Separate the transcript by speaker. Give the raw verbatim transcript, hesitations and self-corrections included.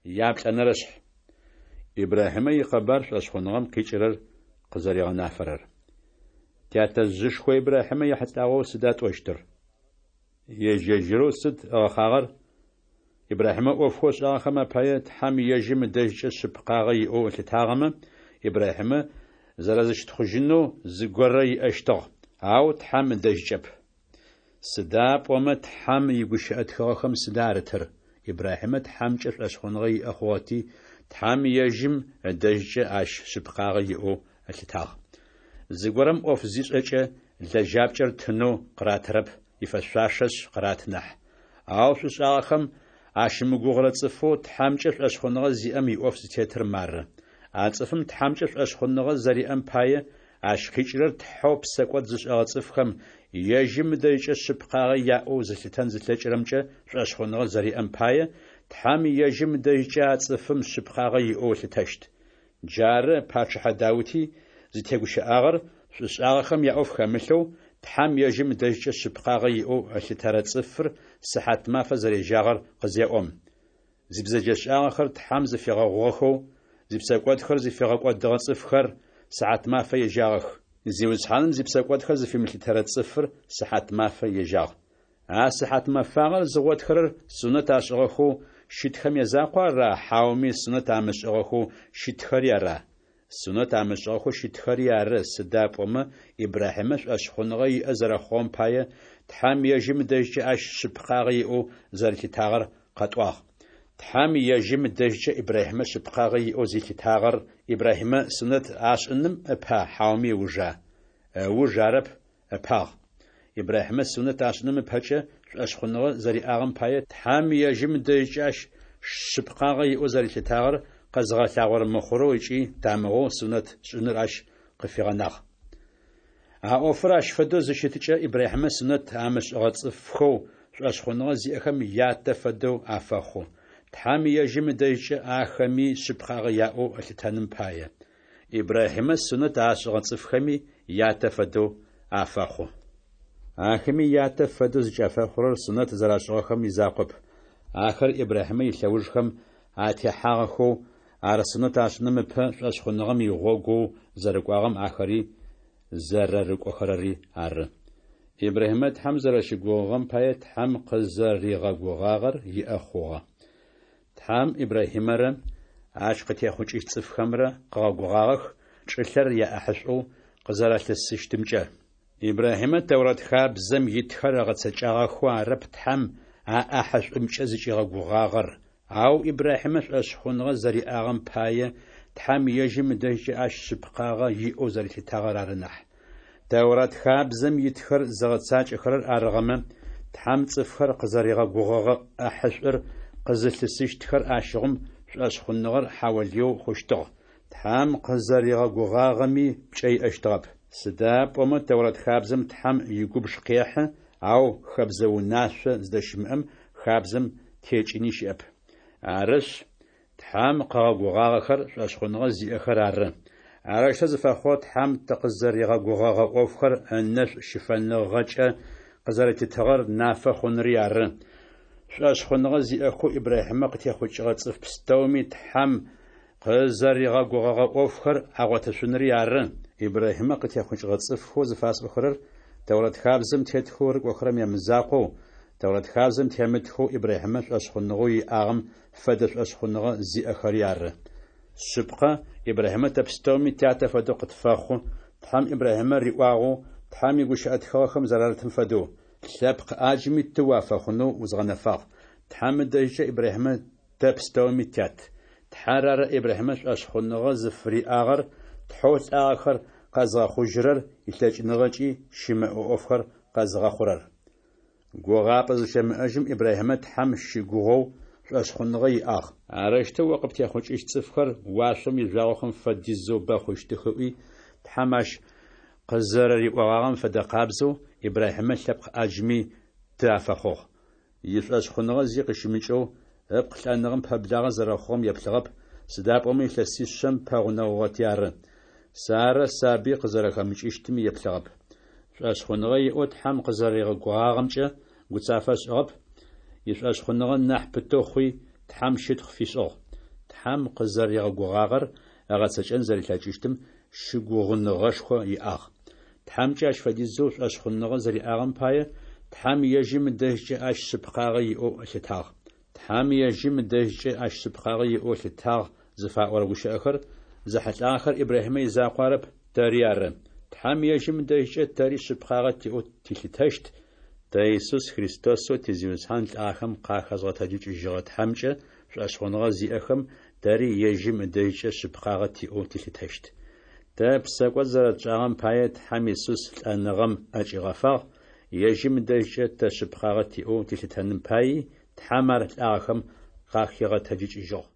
Speaker 1: Яплӏэнэрэшъхь. Ибрахьимэ икъэбар шӏошъхъуныгъэм къикӏырэр къызэригъэнафэрэр. Тятэжъышхо Ибрахьимэ ехьылӏагъэу сыда тӏощтыр? Ежь-ежьырэу сыд ыгъэхъагъэр? Ибрахьимэ ӏофхэу ышӏагъэхэм апае Тхьэм ежьым ыдэжькӏэ шъыпкъагъэ иӏэу ылъытагъэмэ, Ибрахьимэ зэрэзыщытхъужьынэу зыгорэ иӏэщтыгъ, ау Тхьэм ыдэжькӏэп. Сыда пӏомэ Тхьэм игущыӏэ тхыгъэхэм сыда арытыр? Ибрахьимэ Тхьэмкӏэ шӏошъхъуныгъэ иӏэ хъугъэти, Тхьэм ежьым ыдэжькӏэ ащ шъыпкъагъэ иӏэу ылъытагъ. Зыгорэм ӏоф зишӏэкӏэ, лэжьапкӏэр тынэу къыратырэп, ифэшъуашэшъ къыраты нахь. Ау шӏушӏагъэхэм ащымыгугъырэ цӏыфэу Тхьэмкӏэ шӏошъхъуныгъэ зиӏэм иӏоф зытетыр мары: а цӏыфым Тхьэмкӏэ шӏошъхъуныгъэ зэриӏэм пае, ащ къикӏырэр Тхьэу псэкӏод зышӏэгъэ цӏыфхэм ежьым ыдэжькӏэ шъыпкъагъэ яӏэу зылъытэн зылъэкӏырэмкӏэ шӏошъхъуныгъэ зэриӏэм пае, Тхьэм ежьым ыдэжькӏэ а цӏыфым шъыпкъагъэ иӏэу ылъытэщт. Джары пачъыхьэ Даути зытегущыӏагъэр шӏушӏагъэхэм яӏоф хэмылъэу, Тхьэм ежьым ыдэжькӏэ шъыпкъагъэ иӏэу ылъытэрэ цӏыфыр сыхьат мафэ зэрежьагъэр къызеӏом. Зибзэджэшӏагъэхэр Тхьэм зыфигъэгъугъэхэу, зипсэкӏодхэр зыфигъэкӏодыгъэ цӏыфхэр сыхьат мафэ ежьагъэх. Зиусхьаным зипсэкӏодхэр зыфимылъытэрэ цӏыфыр сыхьат мафэ ежьагъ. А сыхьат мэфагъэр зыгъотхэрэр сунэт ашӏыгъэхэу щытхэм язакъуа ара, хьауми сунэт амышӏыгъэхэу щытхэри ара? Сунэт амышӏыгъэхэу щытхэри ары, сыда пӏомэ Ибрахьимэ шӏошъхъуныгъэ иӏэ зэрэхъугъэм пае Тхьэм ежьым ыдэжькӏэ ащ шъыпкъагъэ иӏэу зэрилъытагъэр къэтӏуагъ. Тхьэм ежьым ыдэжькӏэ Ибрахьимэ шъыпкъагъэ иӏэу зилъытагъэр Ибрахьимэ сунэт ашӏыным ыпа, хьауми ыужа? Ыуж арэп, ыпагъ. Ибрахьимэ сунэт ашӏыным ыпэкӏэ шӏошъхъуныгъэ зэриӏагъэм пае Тхьэм ежьым ыдэжькӏэ ащ шъыпкъагъэ иӏэу зэрилъытагъэр къэзыгъэлъагъорэ мыхъурэу ыкӏи тамыгъэу сунэт шӏыныр ащ къыфигъэнагъ. А ӏофыр ащ фэдэу зыщыткӏэ Ибрахьимэ сунэт амышӏыгъэ цӏыфхэу шӏошъхъуныгъэ зиӏэхэм ятэ фэдэу афэхъу, Тхьэм ежьым ыдэжькӏэ ахэми шъыпкъагъэ яӏэу ылъытэным пае. Ибрахьимэ сунэт ашӏыгъэ цӏыфхэми ятэ фэдэу афэхъу. Ахэми ятэ фэдэу зыкӏафэхъурэр сунэт зэрашӏыгъэхэм изакъоп, ахэр Ибрахьимэ илъэужхэм атехьагъэхэу, ар сунэт ашӏыным ыпэ шӏошъхъуныгъэм игъогоу зэрыкӏуагъэм ахэри зэрэрыкӏохэрэри ары. Ибрахьимэ Тхьэм зэрэщыгугъыгъэм пае Тхьэм къызэригъэгугъагъэр иӏэ хъугъэ. Тхьэм Ибрахьимэрэ ащ къытехъукӏыщт цӏыфхэмрэ къыгъэгугъагъэх чӏылъэр яӏахьышӏоу къызэралъысыщтымкӏэ. Ибрахьимэ Тэурат хабзэм итхэр ыгъэцэкӏагъэхэу арэп Тхьэм а ӏахьышӏумкӏэ зыкӏигъэгугъагъэр, ау Ибрахьимэ шӏошъхъуныгъэ зэриӏагъэм пае Тхьэм ежьым ыдэжькӏэ ащ шъыпкъагъэ иӏэу зэрилъытагъэр ары нахь. Тэурат хабзэм итхэр зыгъэцакӏэхэрэр арыгъэмэ, Тхьэм цӏыфхэр къызэригъэгугъэгъэ ӏахьышӏур къызылъысыщтхэр ащыгъум шӏошъхъуныгъэр хьаолыеу хъущтыгъ, Тхьэм къызэригъэгугъагъэми пкӏэ иӏэщтыгъэп. Сыда пӏомэ Тэурат хабзэм Тхьэм игубж къехьы, ау хэбзэ унашъо зыдэщымыӏэм хабзэм текӏыни щыӏэп. Арышъ, Тхьэм къыгъэгугъагъэхэр шӏошъхъуныгъэ зиӏэхэр ары. Арэущтэу зыфэхъугъэр Тхьэм тыкъызэригъэгугъэгъэ ӏофхэр ынэшӏу щыфэныгъэкӏэ къызэрэтитыгъэр нафэ хъунри ары. Шӏошъхъуныгъэ зиӏэхэу Ибрахьимэ къытехъукӏыгъэ цӏыф пстэуми Тхьэм къызэригъэгугъэгъэ ӏофхэр агъотышъунри ары. Ибрахьимэ къытехъукӏыгъэ цӏыфхэу зыфасӏохэрэр Тэурат хабзэм тетхэу рыкӏохэрэм ямызакъоу, Тэурат хабзэм темытхэу Ибрахьимэ шӏошъхъуныгъэу иӏагъэм фэдэ шӏошъхъуныгъэ зиӏэхэри ары. Шъыпкъэ, Ибрахьимэ тэ пстэуми тятэ фэдэу къытфэхъу, Тхьэм Ибрахьимэ риӏуагъэу, Тхьэм игущыӏэ тхыгъэхэм зэрарытым фэдэу: «Лъэпкъ ӏаджми ты уафэхъунэу узгъэнэфагъ». Тхьэм ыдэжькӏэ Ибрахьимэ тэ пстэуми тят. Тхьэр ары Ибрахьимэ шӏошъхъуныгъэ зыфыриӏагъэр, Тхьэу лӏагъэхэр къэзыгъэхъужьырэр илъэкӏыныгъэкӏи щымыӏэ ӏофхэр къэзыгъэхъурэр. Гугъапӏэ зыщымыӏэжьым Ибрахьимэ Тхьэм щыгугъэу шӏошъхъуныгъэ иӏагъ. Арэущтэу о къыптехъукӏыщт цӏыфхэр уашъом ижъуагъохэм фэдизэу бэ хъущтых ыӏуи, Тхьэм ащ къызэрэриӏогъагъэм фэдэ къабзэу Ибрахьимэ лъэпкъ ӏаджми ты афэхъугъ. Ишӏошъхъуныгъэ зи къыщымыкӏэу, ыпкъ лӏэныгъэм пэблагъэ зэрэхъугъэм еплъыгъэп, сыда пӏомэ илъэсишъэм пэгъунэгъугъэти ары. Сарэ сабый къызэрэхэмыкӏыщтыми еплъыгъэп. Шӏошъхъуныгъэ иӏэу Тхьэм Тхьэм къызэригъэгугъагъэр ыгъэцэкӏэн зэрилъэкӏыщтым щыгугъыныгъэшхо иӏагъ. Тхьэмкӏэ ащ фэдизэу шӏошъхъуныгъэ зэриӏагъэм пае, Тхьэм ежьым ыдэжькӏэ ащ шъыпкъагъэ иӏэу ылъытагъ. Тхьэм ежьым ыдэжькӏэ ащ шъыпкъагъэ иӏэу ылъытагъ зыфаӏорэ гущыӏэхэр зэхьылӏагъэхэр Ибрахьимэ изакъоу арэп, тэри ары. Тхьэм ежьым ыдэжькӏэ тэри шъыпкъагъэ тиӏэу тилъытэщт, тэ Исус Христосэу ти Зиусхьан лӏахэм къахэзгъэтэджыкӏыжьыгъэ Тхьэмкӏэ шӏошъхъуныгъэ зиӏэхэм тэри ежьым ыдэжькӏэ шъыпкъагъэ тиӏэу тилъытэщт. Тэ псэкӏод зэрэтшӏагъэм пае, Тхьэм Исус лӏэныгъэм ӏэкӏигъэфагъ, ежьым ыдэжькӏэ тэ шъыпкъагъэ тиӏэу тилъытэным паий, Тхьэм ар лӏагъэхэм къахигъэтэджыкӏыжьыгъ.